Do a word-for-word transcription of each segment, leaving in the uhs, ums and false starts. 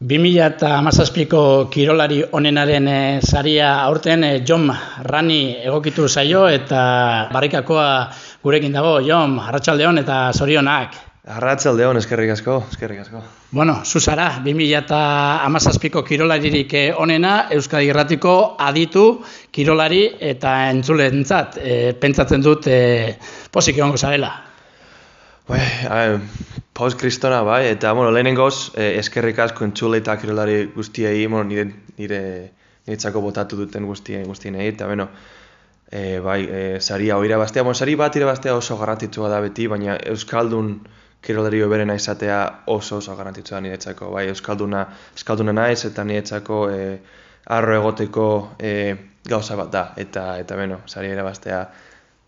bi mila hamazazpiko kirolari onenaren e, saria aurten e, Jon Rani egokitu zaio eta barrikakoa gurekin dago. Jon, arratsaldeon eta zorionak. Arratsaldeon, eskerrik asko, eskerrik asko. Bueno, zu zara, bi mila hamazazpiko kirolaririk onena, Euskadi Irratiko aditu kirolari eta entzulentzat. E, pentsatzen dut e, pozik egongo zarela. Bai, post kristona bai, eta bueno, lehenengoz eh, eskerrik asko entzule eta kirolari guztiei, bueno, nire, nire niretzako botatu duten guztien guztienei, eta bueno, eh, bai, eh, saria hori irabaztea, bueno, sari bat irabaztea oso garrantzitsua da beti, baina euskaldun kirolari hoberena izatea oso oso garrantzitsua niretzako, bai, euskalduna, euskalduna naiz eta niretzako eh, arro egoteko eh, gauza bat da, eta eta bueno, saria irabaztea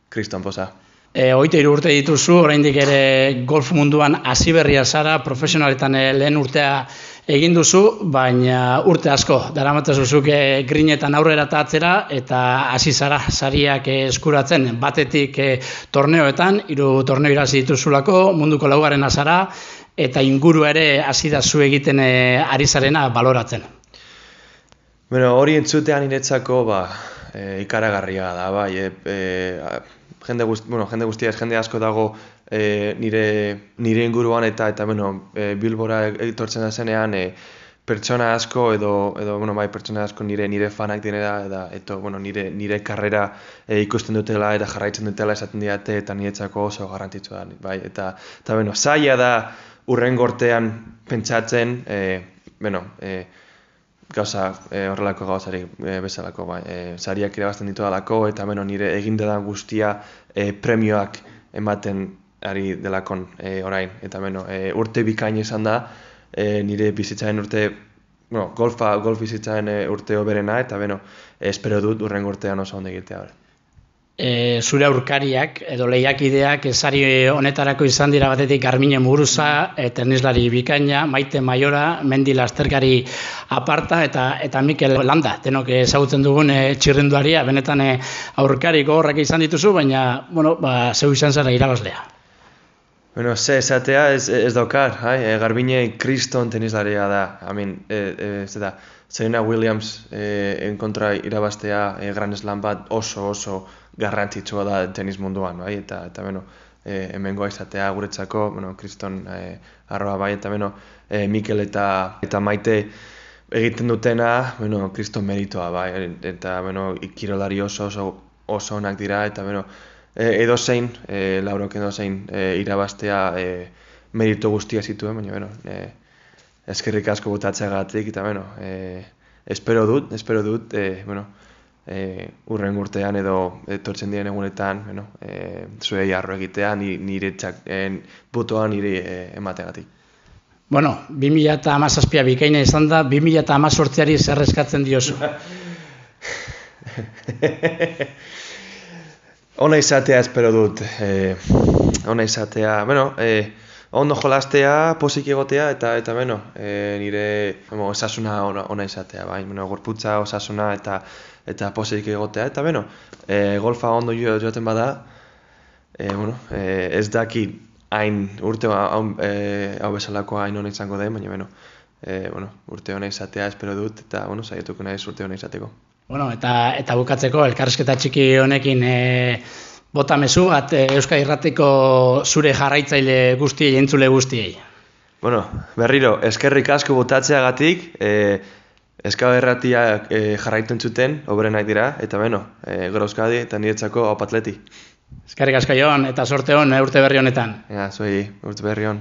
kriston poza. E, Hogeita hiru urte dituzu, oraindik ere golf munduan hasi berria zara, profesionaletan e, lehen urtea egin duzu, baina urte asko daramatzazu zuk e, grinetan aurrera eta atzera, eta hasi zara sariak e, eskuratzen, batetik e, torneoetan, hiru torneo irabazi dituzulako, munduko laugarrena zara, eta inguru ere hasi da zu egiten e, ari zarena baloratzen. Bueno, hori entzutean niretzako ba, e, ikaragarria da, bai, e, e, Jende, guzti, bueno, jende guztia, jende asko dago e, nire, nire inguruan eta eta bueno, e, Bilbora etortzen da zenean e, pertsona asko edo edo bueno, bai, pertsona asko nire nire fanak direla eta eta bueno, nire nire karrera e, ikusten dutela eta jarraitzen dutela esaten diate eta niretzako oso garrantzitsua da, bai, eta eta bueno, zaila da hurrengo urtean pentsatzen, e, bueno, e, gauza e, horrelako gauzari e, bezalako, bai, e, sariak irabazten ditu dalako eta bueno, nire egindedan guztia e, premioak ematen ari delakon e, orain, eta bueno, e, urte bikain izan da, e, nire bizitzaren urte, bueno, golfa, golf bizitzaren e, urte hoberena, eta bueno, e, espero dut urrengo urtean oso ondo egitea. E, zure aurkariak edo lehiakideak sari honetarako izan dira batetik Garbiñe Muguruza, e, tennislari bikaina, Maite Maiora, Mendi Lasterkari aparta eta eta Mikel Landa, denok ezagutzen dugun e, txirrinduaria, benetan e, aurkari gogorrak izan dituzu, baina bueno, ba, zeu izan zara irabazlea. Bueno, ze esatea ez, ez daukar, hai? E, Garbiñe kriston tennislaria da, amin, e, e, ez da, Serena Williams e, enkontra irabaztea e, Grand Slam bat oso oso garrantzitsua da tenis munduan, bai? Eta eta bueno, e, hemengoa izatea guretzako, bueno, kriston e, arroa bai, eta bueno, e, Mikel eta eta Maite egiten dutena, bueno, kriston meritoa bai, eta bueno, kirolari oso oso oso onak dira, eta bueno, e, edozein, e, Laurok edozein e, irabaztea e, merito guztia zituen, baina bueno, e, eskerrik asko botatzeagatik, eta bueno, e, espero dut, espero dut, e, bueno, e, urren urtean edo etortzen diren egunetan, bueno, e, zuei arro egitea, nire txak, e, botoa nire e, emateagatik. Bueno, bi mila hamazazpia bikaina izan da, bi mila hamazortziari zer eskatzen diozu? Ona izatea espero dut, e, ona izatea, bueno, e, ondo jolastea, pozik egotea, eta, eta bueno, e, nire bueno, osasuna ona, ona izatea, bai, bueno, gorputza, osasuna, eta eta pozik egotea, eta bueno, e, golfa ondo jo, joaten bada, e, bueno, e, ez daki hain urte hau, e, hau bezalako hain ona izango den, baina bueno, e, bueno, urte ona izatea espero dut, eta bueno, saietuko naiz urte ona izateko. Bueno, eta, eta bukatzeko, elkarrizketa txiki honekin, e, bota mezu bat Euskadi Irratiko zure jarraitzaile guztiei, entzule guztiei. Bueno, berriro, eskerrik asko botatzeagatik, e, Euskadi Irratia e, jarraitzen zuten, hoberenak dira, eta beno, e, gero Euskadi eta niretzako aupatleti. Eskerrik asko Jon, eta sorte hon urte berri honetan. Ja, zuei, urte berri hon.